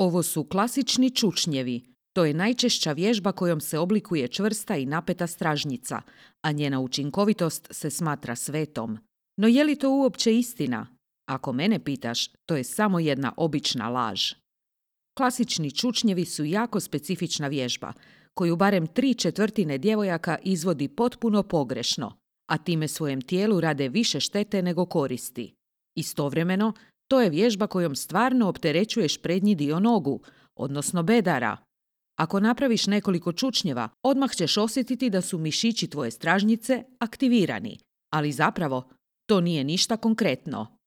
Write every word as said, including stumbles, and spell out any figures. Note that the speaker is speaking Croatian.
Ovo su klasični čučnjevi. To je najčešća vježba kojom se oblikuje čvrsta i napeta stražnjica, a njena učinkovitost se smatra svetom. No je li to uopće istina? Ako mene pitaš, to je samo jedna obična laž. Klasični čučnjevi su jako specifična vježba, koju barem tri četvrtine djevojaka izvodi potpuno pogrešno, a time svojem tijelu rade više štete nego koristi. Istovremeno, to je vježba kojom stvarno opterećuješ prednji dio nogu, odnosno bedara. Ako napraviš nekoliko čučnjeva, odmah ćeš osjetiti da su mišići tvoje stražnjice aktivirani, ali zapravo to nije ništa konkretno.